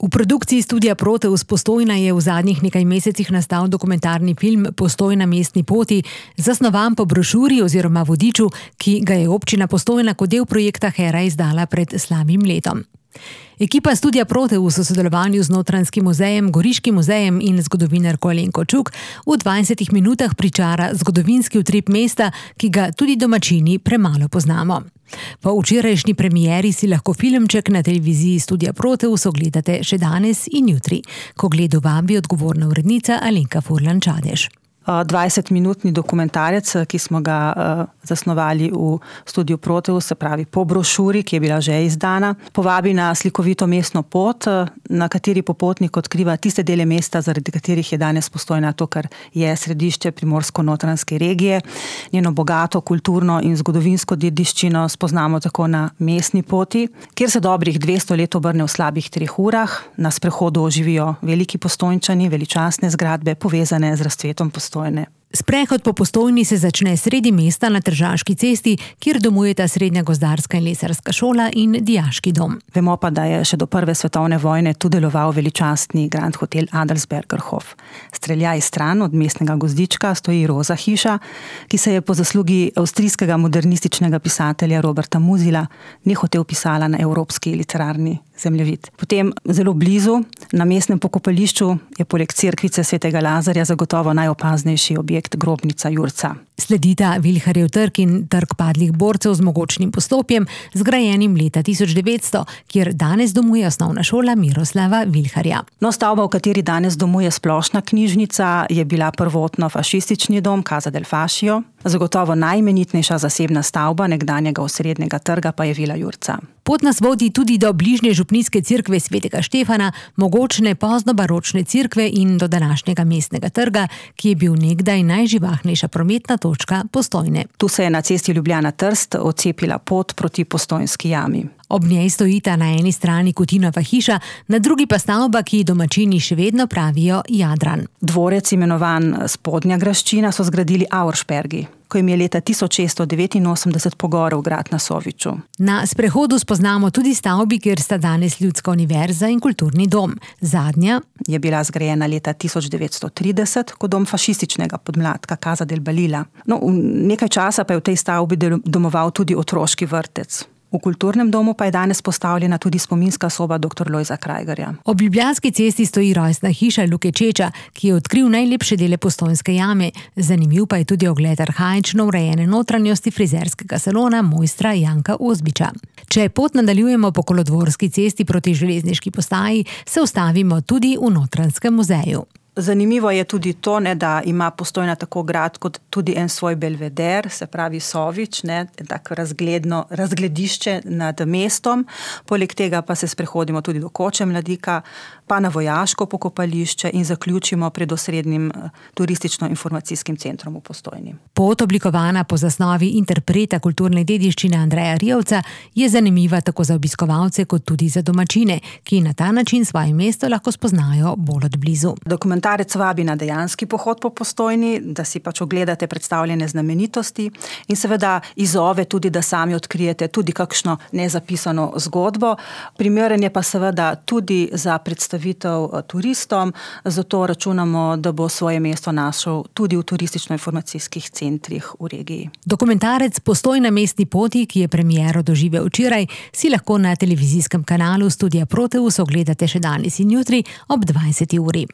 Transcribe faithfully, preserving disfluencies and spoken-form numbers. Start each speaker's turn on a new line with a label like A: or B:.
A: V produkciji Studia Proteus Postojna je v zadnjih nekaj mesecih nastal dokumentarni film Postojna mestni poti, zasnovan po brošuri oziroma vodiču, ki ga je občina Postojna kot del projekta Hera izdala pred slabim letom. Ekipa Studia Proteus v sodelovanju z Notranjskim muzejem, Goriškim muzejem in zgodovinarko Alenko Čuk v dvajsetih minutah pričara zgodovinski utrip mesta, ki ga tudi domačini premalo poznamo. Po včerajšnji premieri si lahko filmček na televiziji Studia Proteus ogledate še danes in jutri, ko gledu vabi odgovorna urednica Alenka Furlan Čadež.
B: dvajsetminutni dokumentarec, ki smo ga uh, zasnovali v Studiu Proteus, se pravi po brošuri, ki je bila že izdana, povabi na slikovito mestno pot, na kateri popotnik odkriva tiste dele mesta, zaradi katerih je danes Postojna to, kar je središče primorsko-notranjske regije. Njeno bogato kulturno in zgodovinsko dediščino spoznamo tako na mestni poti, kjer se dobrih dvesto let obrne v slabih treh urah. Na sprehodu oživijo veliki Postojnčani, veličastne zgradbe, povezane z razcvetom Postojne.
A: Sprehod po Postojni se začne sredi mesta na Tržaški cesti, kjer domujeta Srednja gozdarska in lesarska šola in dijaški dom.
B: Vemo pa, da je še do prve svetovne vojne tu deloval veličastni Grand Hotel Adelsbergerhof. Streljaj stran od mestnega gozdička stoji Roza hiša, ki se je po zaslugi avstrijskega modernističnega pisatelja Roberta Musil nehote vpisala na evropski literarni zemljevid. Potem zelo blizu, na mestnem pokopališču, je poleg cerkvice svetega Lazarja zagotovo najopaznejši objekt grobnica Jurca.
A: Sledita Vilharjev trg in trg padlih borcev z mogočnim poslopjem, zgrajenim leta tisoč devetsto, kjer danes domuje osnovna šola Miroslava Vilharja.
B: No, stavba, v kateri danes domuje splošna knjižnica, je bila prvotno fašistični dom Casa del Fascio. Zagotovo najimenitnejša zasebna stavba nekdanjega osrednjega trga pa je Vila Jurca.
A: Pot nas vodi tudi do bližnje župnijske cerkve svetega Štefana, mogočne poznobaročne cerkve in do današnjega mestnega trga, ki je bil nekdaj najživahnejša prometna točka Postojne.
B: Tu se je na cesti Ljubljana-Trst odcepila pot proti Postojnski jami.
A: Ob njej stojita na eni strani Kutinova hiša, na drugi pa stavba, ki domačini še vedno pravijo Jadran.
B: Dvorec, imenovan Spodnja graščina, so zgradili Auerspergi, ko jim je leta tisoč šeststo devetinosemdeset pogorel grad na Soviču.
A: Na sprehodu spoznamo tudi stavbi, kjer sta danes Ljudska univerza in kulturni dom. Zadnja
B: je bila zgrajena leta tisoč devetsto trideset kot dom fašističnega podmladka Casa del Balila. No, nekaj časa pa je v tej stavbi domoval tudi otroški vrtec. V kulturnem domu pa je danes postavljena tudi spominska soba doktor Lojza Krajgerja.
A: Ob Ljubljanski cesti stoji rojstna hiša Luke Čeča, ki je odkril najlepše dele Postojnske jame. Zanimiv pa je tudi ogled arhaično urejene notranjosti frizerskega salona mojstra Janka Ozbiča. Če pot nadaljujemo po Kolodvorski cesti proti železniški postaji, se ustavimo tudi v Notranjskem muzeju.
B: Zanimivo je tudi to, ne, da ima Postojna tako grad kot tudi en svoj belveder, se pravi Sovič, ne, tako razgledno, razgledišče nad mestom. Poleg tega pa se sprehodimo tudi do Koče Mladika, pa na vojaško pokopališče in zaključimo pred osrednjim turistično-informacijskim centrom v Postojni.
A: Pot, oblikovana po zasnovi interpreta kulturne dediščine Andreja Rijevca, je zanimiva tako za obiskovalce kot tudi za domačine, ki na ta način svoje mesto lahko spoznajo bolj od blizu.
B: Dokumentarec vabi na dejanski pohod po Postojni, da si pač ogledate predstavljene znamenitosti in seveda izzove tudi, da sami odkrijete tudi kakšno nezapisano zgodbo. Primeren je pa seveda tudi za predstavitev turistom, zato računamo, da bo svoje mesto našel tudi v turistično-informacijskih centrih v regiji.
A: Dokumentarec Postojna mestni poti, ki je premiero doživel včeraj, si lahko na televizijskem kanalu Studia Proteus ogledate še danes in jutri ob dvajseti uri.